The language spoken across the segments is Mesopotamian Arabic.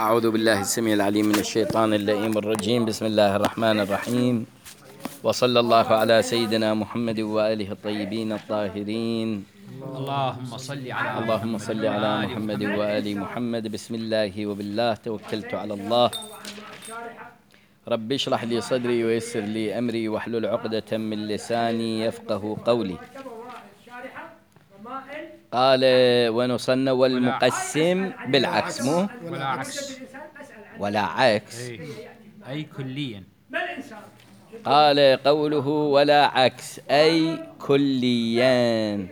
أعوذ بالله السميع العليم من الشيطان اللئيم الرجيم. بسم الله الرحمن الرحيم، وصلى الله على سيدنا محمد وآله الطيبين الطاهرين. اللهم صل على محمد وآل محمد. بسم الله وبالله توكلت على الله. رب اشرح لي صدري ويسر لي أمري واحلل عقدة من لساني يفقه قولي. قال ونصنى والمقسم بالعكس، مو ولا عكس أي كليا. قال قوله ولا عكس أي كليا.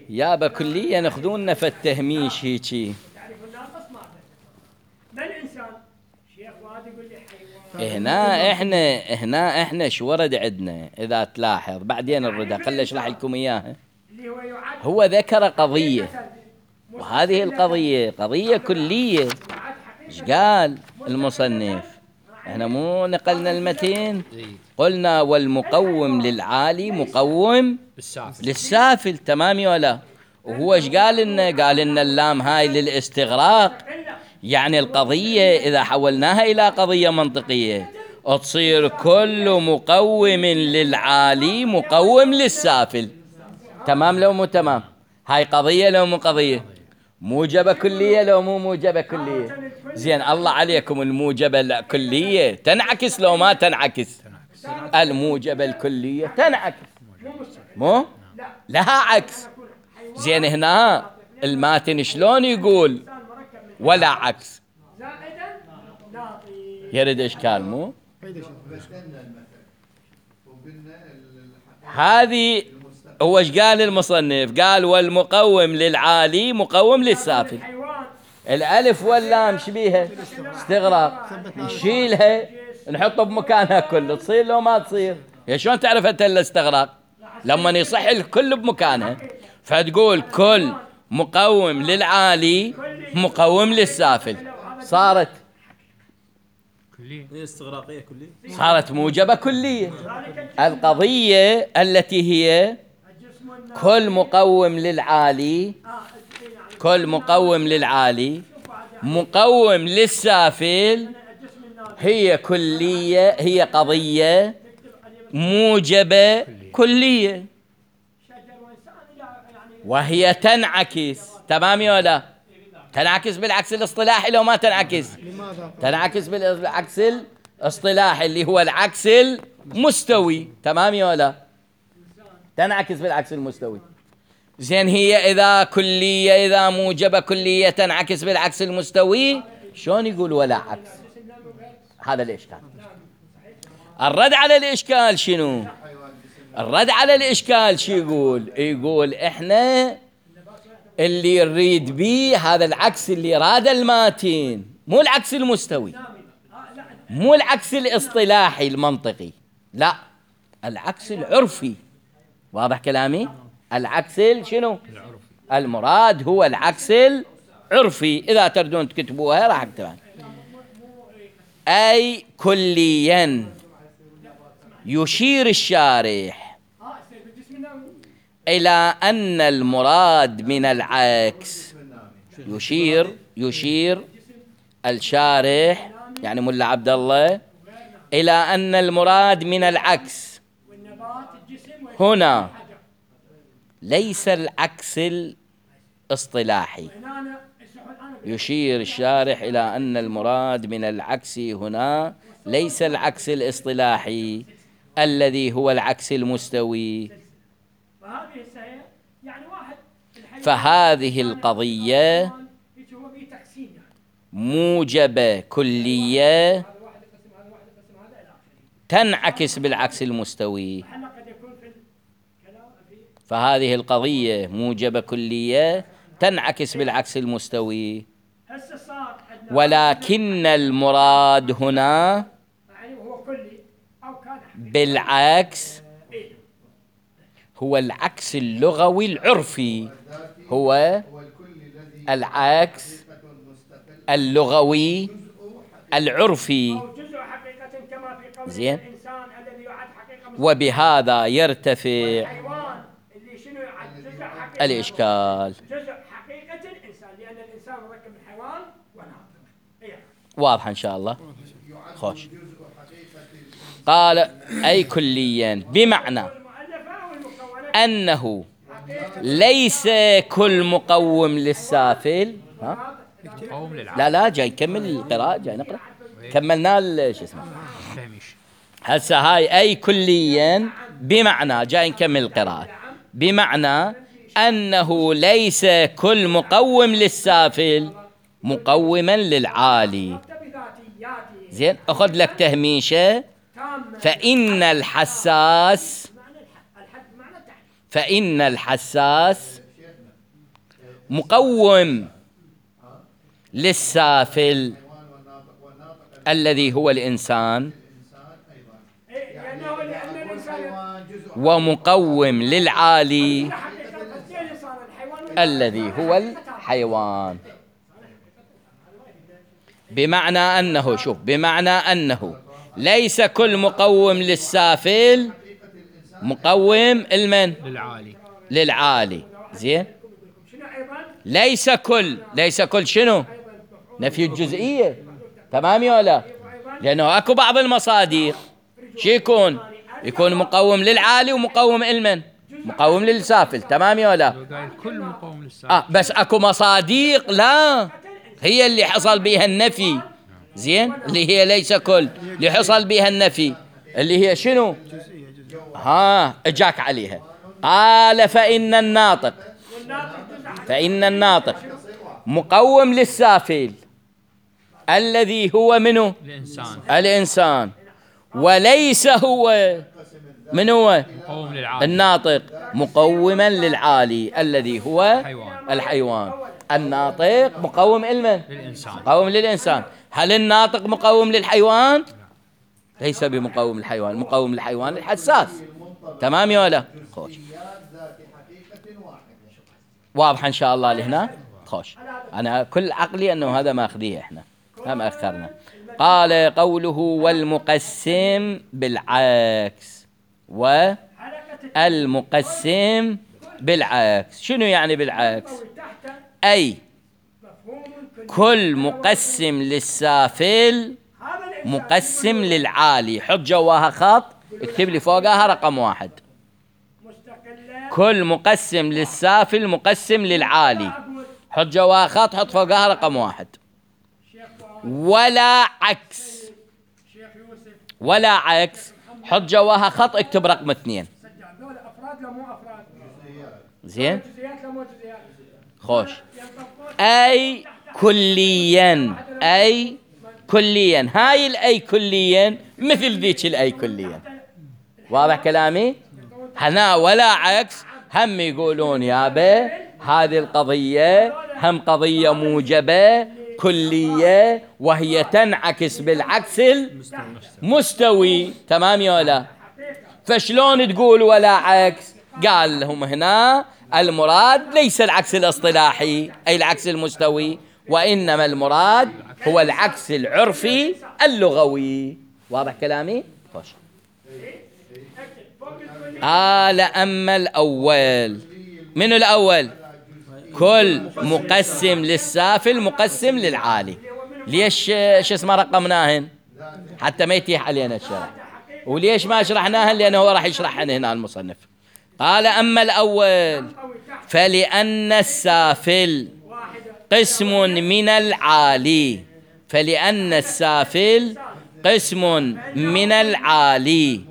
يابا كليا خذونا في التهميش هيجي. هنا احنا شو ورد عندنا اذا تلاحظ بعدين الردى خلي اشرح لكم اياها. هو ذكر قضية، وهذه القضية قضية كلية. ايش قال المصنف؟ احنا مو نقلنا المتين، قلنا والمقوم للعالي مقوم للسافل، تمام ولا؟ وهو ايش قال لنا؟ قال لنا اللام هاي للاستغراق، يعني القضية إذا حولناها إلى قضية منطقية تصير كل مقوم للعالي مقوم للسافل، تمام لو مو تمام؟ هاي قضية لو مو قضية؟ موجبة كلية لو مو موجبة كلية؟ زين الله عليكم، الموجبة الكلية تنعكس لو ما تنعكس؟ الموجبة الكلية تنعكس، مو لها عكس. زين هنا الماتن شلون يقول ولا عكس؟ يرد اشكال، مو هذه. هو ايش قال المصنف؟ قال والمقوم للعالي مقوم للسافل. الالف واللام شبيها استغراق، نشيلها نحطه بمكانها كله، تصير لو ما تصير؟ يا شلون تعرف انت الاستغراق؟ لما يصح الكل بمكانها، فتقول كل مقوم للعالي مقوم للسافل، صارت استغراقية كلية، صارت موجبة كلية. القضية التي هي كل مقوم للعالي، كل مقوم للعالي مقوم للسافل، هي كلية، هي قضية موجبة كلية، وهي تنعكس، تمام ولا؟ تنعكس بالعكس الاصطلاحي لو ما تنعكس؟ تنعكس بالعكس الاصطلاحي اللي هو العكس المستوي، تمام ولا؟ تنعكس بالعكس المستوي. زين هي إذا كلية، إذا موجبة كلية تنعكس بالعكس المستوي، شلون يقول ولا عكس؟ هذا الإشكال. الرد على الإشكال شنو؟ الرد على الإشكال شو يقول؟ يقول إحنا اللي يريد بيه هذا العكس اللي راد الماتين، مو العكس المستوي، مو العكس الاصطلاحي المنطقي، لا، العكس العرفي. واضح كلامي؟ العكس شنو؟ المراد هو العكس العرفي. إذا تردون تكتبوها راح اكتبها. أي كليا يشير الشارح إلى أن المراد من العكس، يشير الشارح يعني ملا عبد الله إلى أن المراد من العكس هنا ليس العكس الاصطلاحي. يشير الشارح إلى أن المراد من العكس هنا ليس العكس الاصطلاحي الذي هو العكس المستوي. فهذه القضية موجبة كلية تنعكس بالعكس المستوي. فهذه القضية موجبة كلية تنعكس بالعكس المستوي، ولكن المراد هنا بالعكس هو العكس اللغوي العرفي، هو العكس اللغوي العرفي. زين، وبهذا يرتفع الإشكال. جزء حقيقة الإنسان، لأن الإنسان مركب واضحة إن شاء الله. خوش. قال أي كليا بمعنى أنه ليس كل مقوم للسافل. ها؟ لا جاي نكمل القراءة، جاي نقرأ. كملنا شو اسمه هسه. هاي أي كليا بمعنى، جاي نكمل القراءة، بمعنى أنه ليس كل مقوم للسافل مقوما للعالي. زين، أخذ لك تهميشة. فإن الحساس مقوم للسافل الذي هو الإنسان، ومقوم للعالي الذي هو الحيوان. بمعنى أنه، شوف، بمعنى أنه ليس كل مقوم للسافل مقوم المن للعالي. زين، ليس كل شنو؟ نفي الجزئية. تمام يا ولا؟ لأنه أكو بعض المصادر شو يكون مقوم للعالي ومقوم المن مقوم للسافل. تمام يا ولا؟ كل مقوم للسافل. بس أكو مصادق لا هي اللي حصل بها النفي. زين، اللي هي ليس كل، اللي حصل بها النفي اللي هي شنو؟ اجاك عليها. قال فإن مقوم للسافل الذي هو منه الإنسان، وليس هو من هو الناطق مقوما للعالي الذي هو الحيوان. الناطق مقوم مقوم للإنسان. هل الناطق مقوم للحيوان؟ ليس بمقوم للحيوان، مقوم للحيوان الحساس. تمام يا ولا؟ خوش. واضح إن شاء الله لهنا. خوش. أنا كل عقلي أنه هذا ما أخذيه إحنا ما أخرنا. قال قوله والمقسم بالعكس، والمقسم بالعكس. شنو يعني بالعكس؟ أي كل مقسم للسافل مقسم للعالي. حط جواها خط، اكتب لي فوقها رقم 1. كل مقسم للسافل مقسم للعالي، حط جواها خط، حط فوقها رقم 1. ولا عكس، حط جواها خط، اكتب رقم 2. زين، خوش. أي كليا، هاي الأي كليا مثل ذيك الأي كليا. واضح كلامي؟ هنا ولا عكس هم يقولون يابا هذه القضية هم قضية موجبة كلية، وهي تنعكس بالعكس المستوي. تمام يا ولا؟ فشلون تقول ولا عكس؟ قال لهم هنا المراد ليس العكس الاصطلاحي أي العكس المستوي، وإنما المراد هو العكس العرفي اللغوي. واضح كلامي؟ خوش. قال أما الأول، من الأول؟ كل مقسم للسافل مقسم للعالي. ليش شو اسمه رقمناهن؟ حتى ما يتيح علينا الشرح. وليش ما شرحناهن؟ لأنه هو راح يشرحهن هنا المصنف. قال أما الأول فلأن السافل قسم من العالي، فلأن السافل قسم من العالي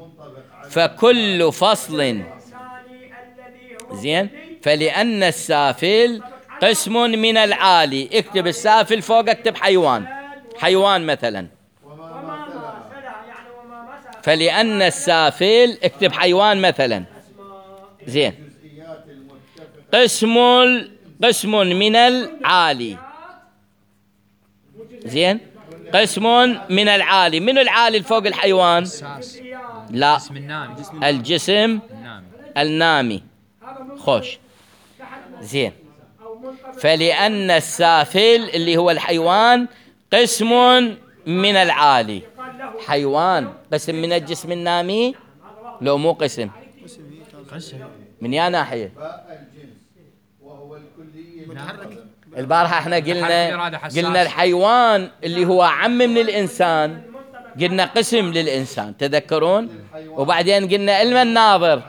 فكل فصل. زين، فلأن السافل قسم من العالي. اكتب السافل فوق، اكتب حيوان مثلا. فلأن السافل اكتب حيوان مثلا. زين، قسم من العالي. زين، قسم من العالي. من العالي فوق الحيوان؟ لا، الجسم النامي. خوش. زين، فلأن السافل اللي هو الحيوان قسم من العالي. حيوان قسم من الجسم النامي؟ لو مو قسم من يا ناحية؟ البارحة احنا قلنا الحيوان اللي هو عم من الإنسان، قلنا قسم للإنسان تذكرون، وبعدين قلنا علم الناظر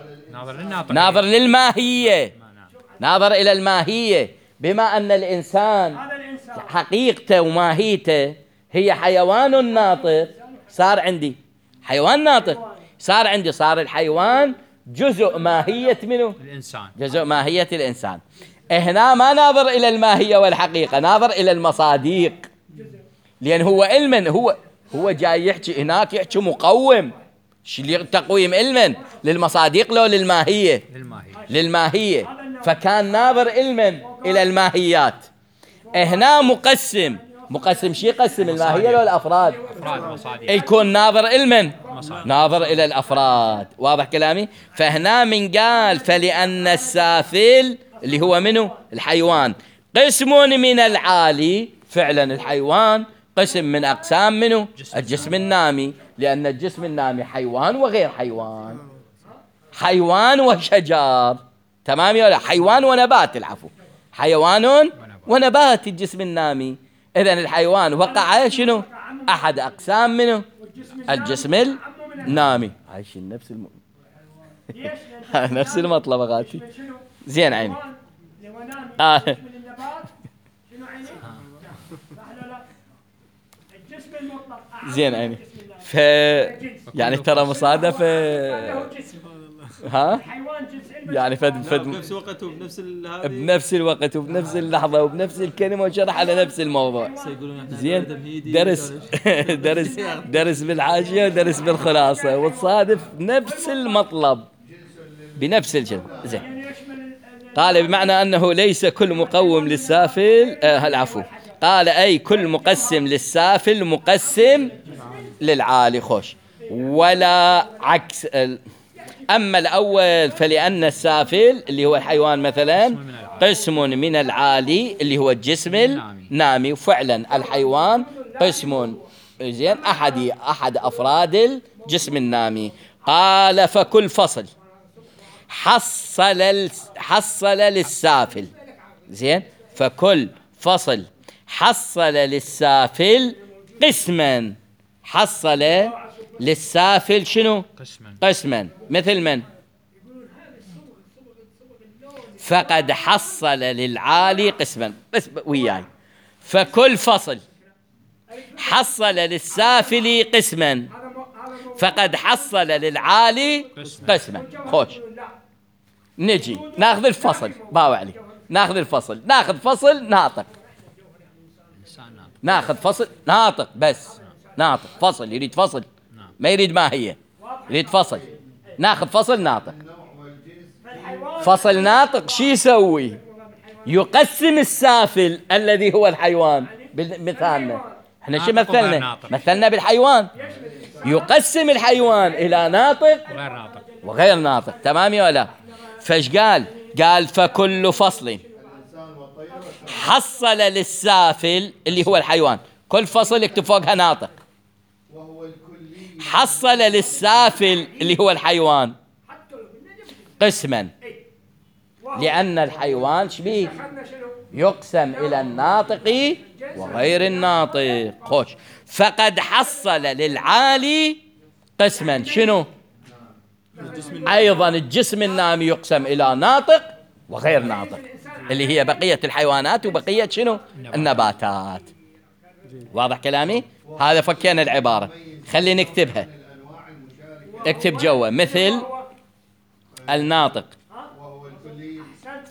ناظر للماهية، ناظر إلى الماهية، بما أن الإنسان حقيقته وماهيته هي حيوان ناطق، صار عندي حيوان ناطق، صار الحيوان جزء ماهية منه الإنسان، جزء ماهية الإنسان. هنا ما ناظر إلى الماهية والحقيقة، ناظر إلى المصاديق، لأن هو علما هو جاي يحكي هناك، يحكي مقوم تقويم علما للمصاديق لو للماهية، للماهية، فكان ناظر علما إلى الماهيات. هنا مقسم شي يقسم الماهية لو الأفراد، يكون ناظر علما ناظر إلى الأفراد. واضح كلامي؟ فهنا من قال فلأن السافل اللي هو منه الحيوان قسم من العالي، فعلا الحيوان قسم من أقسام منه الجسم النامي، لأن الجسم النامي حيوان وغير حيوان، حيوان وشجر، تمام ولا حيوان ونبات، العفو، حيوان ونبات الجسم النامي. إذن الحيوان وقع شنو؟ أحد أقسام منه الجسم النامي. عايشين نفس المطلب غاتي. زين عيني. زين عيني. يعني ترى مصادفة، ها؟ يعني بنفس الوقت بنفس الوقت وبنفس اللحظة وبنفس الكلمة وشرح على نفس الموضوع. زين، درس بالحاشية ودرس بالخلاصة، وتصادف نفس المطلب بنفس الجملة. زين، قال بمعنى أنه ليس كل مقوم للسافل، العفو، قال أي كل مقسم للسافل مقسم للعالي. خوش، ولا عكس. أما الأول فلأن السافل اللي هو الحيوان مثلا قسم من العالي اللي هو الجسم النامي، وفعلا الحيوان قسم، زين، أحد أفراد الجسم النامي. قال فكل فصل حصل للسافل، زين، فكل فصل حصل للسافل قسما، حصل للسافل شنو؟ قسما، مثل من؟ فقد حصل للعالي قسما. بس وياي، فكل فصل حصل للسافل قسما فقد حصل للعالي قسما. خوش، نجي ناخذ الفصل، باو علي، ناخذ فصل ناطق، ناخذ فصل ناطق، بس ناطق، فصل، يريد فصل، ما يريد ماهية، يريد فصل. ناخذ فصل ناطق. فصل ناطق شي يسوي؟ يقسم السافل الذي هو الحيوان. بمثالنا احنا شو مثلنا بالحيوان، يقسم الحيوان إلى ناطق وغير ناطق، تمام ولا؟ فايش قال فكل فصل حصل للسافل اللي هو الحيوان، كل فصل يكتب فوقها ناطق، حصل للسافل اللي هو الحيوان قسما، لأن الحيوان شبيه يقسم إلى الناطق وغير الناطق. خوش، فقد حصل للعالي قسما، شنو؟ أيضا الجسم النامي يقسم إلى ناطق وغير ناطق، اللي هي بقية الحيوانات وبقية شنو؟ النباتات. واضح كلامي؟ هذا فكينا العبارة، خلي نكتبها، اكتب جوا مثل الناطق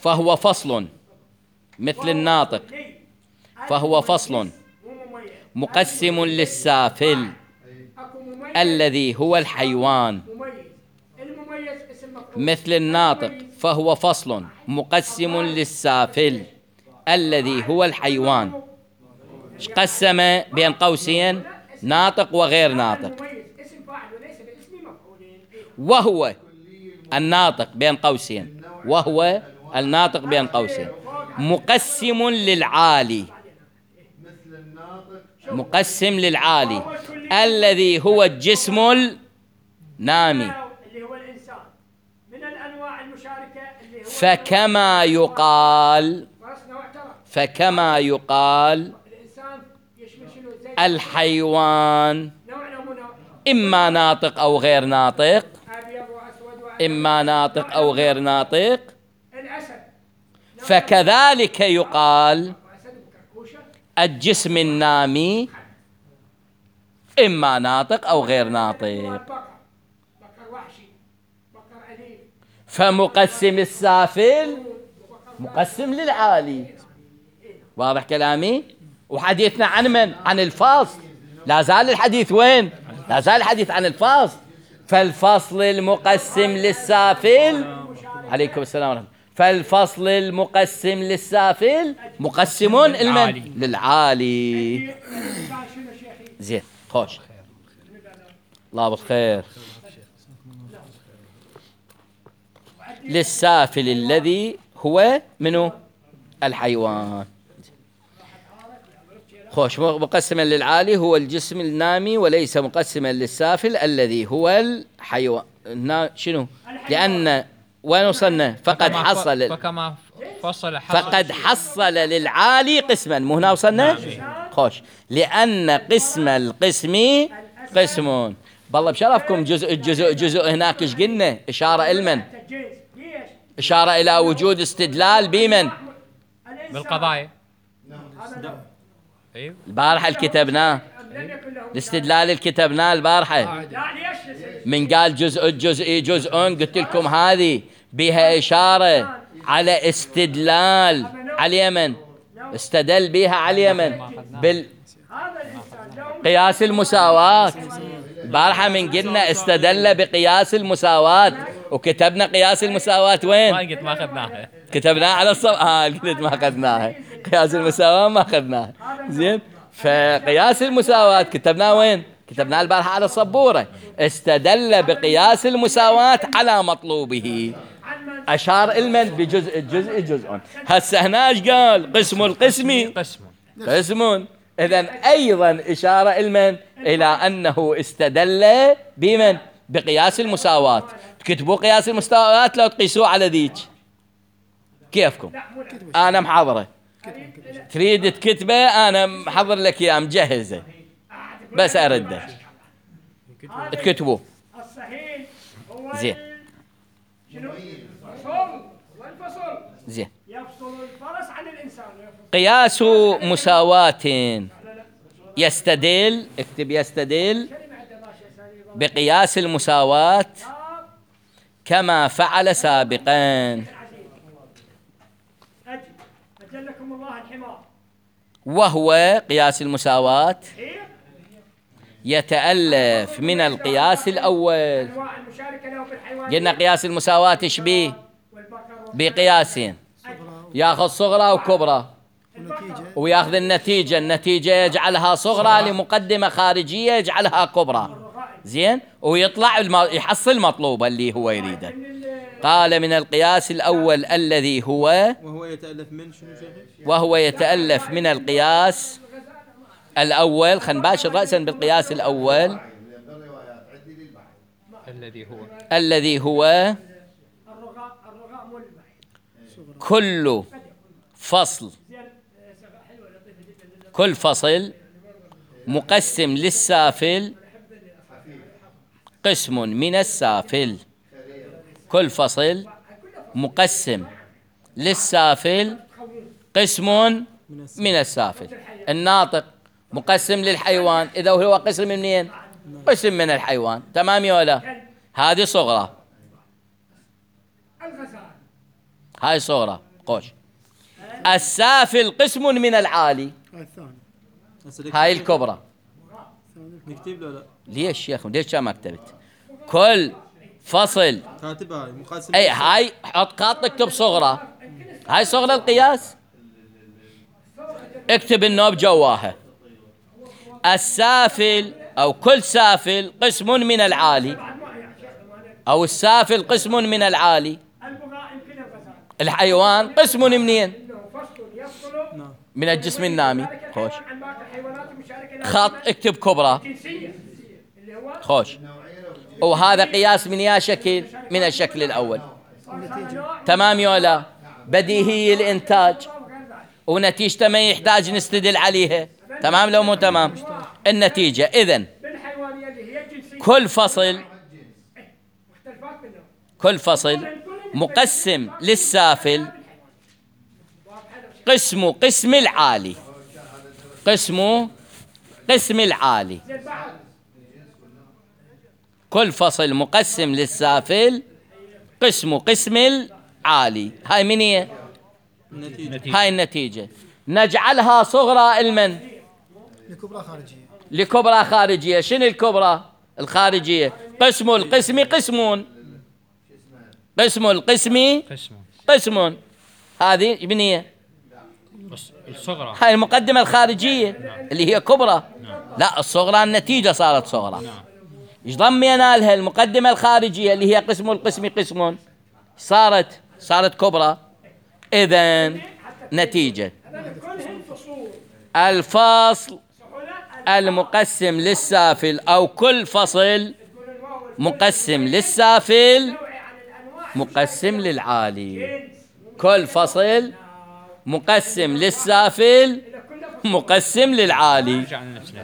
فهو فصل، مثل الناطق فهو فصل مقسم للسافل الذي هو الحيوان، مثل الناطق فهو فصل مقسم للسافل الذي هو الحيوان. قسم بين قوسين ناطق وغير ناطق، وهو الناطق بين قوسين، وهو الناطق بين قوسين مقسم للعالي، مقسم للعالي الذي هو الجسم النامي. فكما فكما يقال الحيوان إما ناطق أو غير ناطق، إما ناطق أو غير ناطق، فكذلك يقال الجسم النامي إما ناطق أو غير ناطق. فمقسم السافل مقسم للعالي. واضح كلامي؟ وحديثنا عن من؟ عن الفصل. لا زال الحديث وين؟ لا زال الحديث عن الفصل. فالفصل المقسم للسافل، عليكم السلام ورحمة الله، فالفصل المقسم للسافل مقسم المن؟ للعالي. زين خوش، الله بالخير. للسافل الذي هو منه؟ الحيوان. خوش، مقسما للعالي هو الجسم النامي، وليس مقسما للسافل الذي هو الحيوان. شنو؟ لأن وين وصلنا؟ فقد حصل للعالي قسما. مو هنا وصلنا؟ خوش، لأن قسم القسم قسم. بالله بشرفكم جزء هناك ايش قلنا؟ إشارة المن؟ إشارة إلى وجود استدلال بمن؟ بالقضايا. البارحة الكتبناه، الاستدلال الكتبناه البارحة. من قال جزئي جزء، قلت لكم هذه بها إشارة على استدلال على اليمن، استدل بها على اليمن بالقياس المساواة. البارحة من قلنا استدل بقياس المساواة، وكتبنا قياس المساواة وين؟ قلت ما أخذناها، كتبناها على قلت ما أخذناها. قياس المساواة ما أخذناها. زين، فقياس المساواة كتبناه وين؟ كتبناه البارحة على السبورة. استدل بقياس المساواة على مطلوبه، أشار المن بجزء الجزء جزء. هسه هناش قال قسم القسم قسم. إذن أيضا إشارة المن إلى أنه استدل بمن؟ بقياس المساواة. تكتبوا قياس المساواة لو تقيسوه على ذيك كيفكم؟ أنا محضرة، تريد تكتبه أنا محضر لك إياه مجهزة، بس أرده تكتبوه. زين زين. قياس مساواة يستدل، اكتب يستدل بقياس المساواة كما فعل سابقا، وهو قياس المساواة يتألف من القياس الأول. قلنا قياس المساواة ايش بيه؟ بقياسين، ياخذ صغرى وكبرى وياخذ النتيجة يجعلها صغرى لمقدمة خارجية يجعلها كبرى. زين، ويطلع يحصل مطلوب اللي هو يريده. قال من القياس الأول الذي هو وهو يتألف من القياس الأول. خلينا نباشر رأسا بالقياس الأول الذي هو كل فصل مقسم للسافل قسم من السافل. كل فصل مقسم للسافل قسم من السافل. الناطق مقسم للحيوان، إذا هو قسم منين؟ قسم من الحيوان. تمام يا ولا؟ هذه صغرى، هاي صغرى. قوش. السافل قسم من العالي، هاي الكبرى. نكتب لا؟ ليش يا أخي؟ ليش ما كتبت؟ كل فصل أي هاي حط خط اكتب صغرى، هاي صغرى القياس، اكتب النوب جواها. السافل أو كل سافل قسم من العالي، أو السافل قسم من العالي. الحيوان قسم منين؟ من الجسم النامي. خوش، خط اكتب كبرى. خوش، وهذا قياس من يا شكل؟ من الشكل الأول. تمام يا لا؟ بديهي الإنتاج. ونتيجته ما يحتاج نستدل عليها. تمام لو مو تمام؟ النتيجة إذن كل فصل مقسم للسافل قسم العالي. قسم العالي. كل فصل مقسم للسافل قسم العالي. هاي من هي؟ هاي النتيجة. نجعلها صغرى المن؟ لكبرى خارجية. شنو الكبرى الخارجية؟ قسم القسم قسم. هذه من هي؟ الصغرى. هاي المقدمة الخارجية اللي هي كبرى. لا، الصغرى النتيجة صارت صغرى. ايش ضمينا لها؟ المقدمة الخارجية اللي هي قسم القسم صارت كبرى. إذن نتيجة الفصل المقسم للسافل أو كل فصل مقسم للسافل مقسم للعالي. كل فصل مقسم للسافل مقسم للعالي،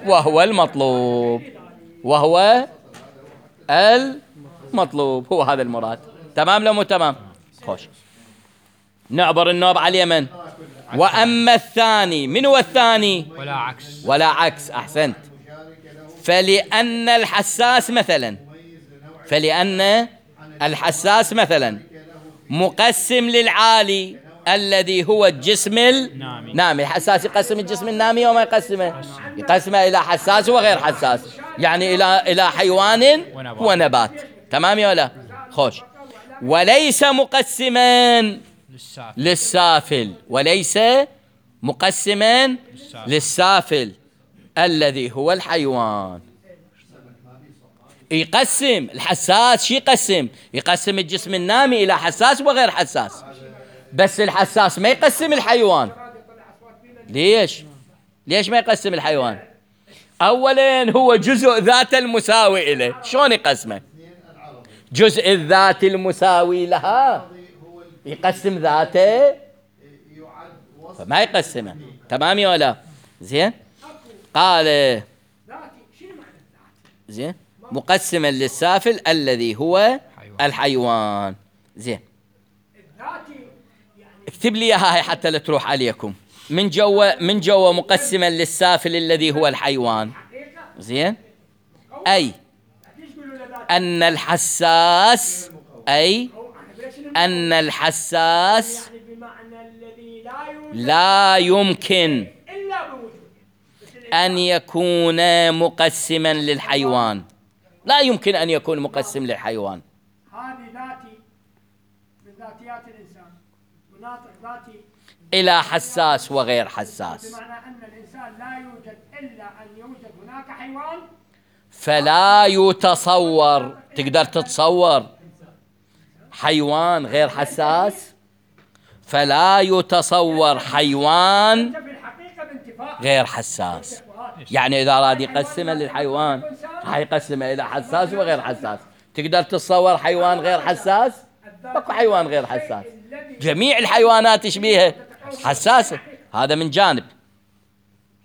وهو المطلوب. هو هذا المراد. تمام لو مو تمام؟ خوش. نعبر النوب على اليمن. وأما الثاني، من هو الثاني؟ ولا عكس. أحسنت. فلأن الحساس مثلا مقسم للعالي الذي هو الجسم النامي. الحساس يقسم الجسم النامي وما يقسمه؟ يقسمه إلى حساس وغير حساس، يعني إلى حيوان ونبات. تمام يا ولا؟ خوش. وليس مقسما للسافل. وليس مقسما للسافل الذي هو الحيوان. يقسم الحساس. شي يقسم الجسم النامي إلى حساس وغير حساس، بس الحساس ما يقسم الحيوان. ليش ما يقسم الحيوان؟ أولا هو جزء ذات المساوي إليه. شلون يقسمه؟ جزء الذات المساوي لها يقسم ذاته، فما يقسمه. تمام يا ولا؟ زين. قال زين مقسما للسافل الذي هو الحيوان. زين، اكتب لي هاي حتى لا تروح عليكم. من جوا مقسما للسافل الذي هو الحيوان. زين. أي أن الحساس لا يمكن أن يكون مقسما للحيوان. لا يمكن أن يكون مقسم للحيوان. هذه ذاتي من ذاتيات الإنسان، مناطق ذاتي إلى حساس وغير حساس. بمعنى أن الإنسان لا يوجد إلا أن يوجد هناك حيوان. فلا يتصور. تقدر تتصور حيوان غير حساس؟ فلا يتصور حيوان غير حساس. يعني إذا أراد يقسمه للحيوان حيقسمه إلى حساس وغير حساس. تقدر تتصور حيوان غير حساس؟ اكو حيوان غير حساس. جميع الحيوانات يشبيها حساسة. هذا من جانب.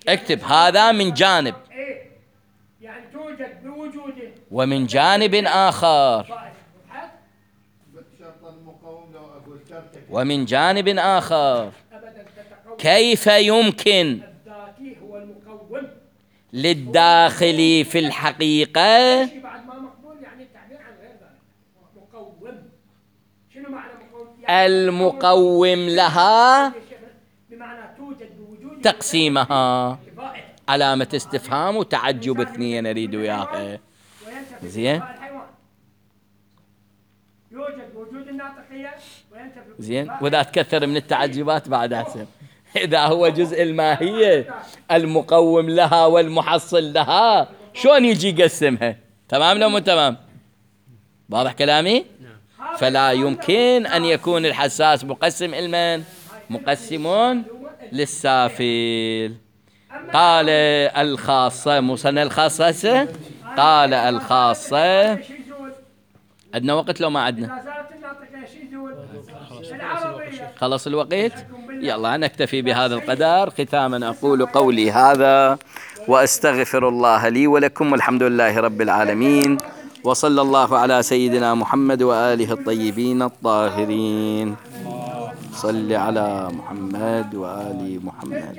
اكتب هذا من جانب. يعني توجد بوجوده. ومن جانب آخر كيف يمكن للداخل في الحقيقة المقوم لها تقسيمها؟ علامة استفهام وتعجب اثنين أريد وياها. زين. زين. وإذا تكثر من التعجبات بعد أحسن. إذا هو جزء الماهية المقوم لها والمحصل لها شلون يجي يقسمها؟ تمام لو مو تمام؟ واضح كلامي؟ فلا يمكن أن يكون الحساس مقسم المن؟ مقسمون للسافل. قال الخاصة مصنع الخاصة. قال الخاصة. عندنا وقت لو ما عندنا؟ خلص الوقت. يلا نكتفي بهذا القدر. ختاما أقول قولي هذا وأستغفر الله لي ولكم، والحمد لله رب العالمين، وصلى الله على سيدنا محمد وآله الطيبين الطاهرين. صل على محمد وآل محمد.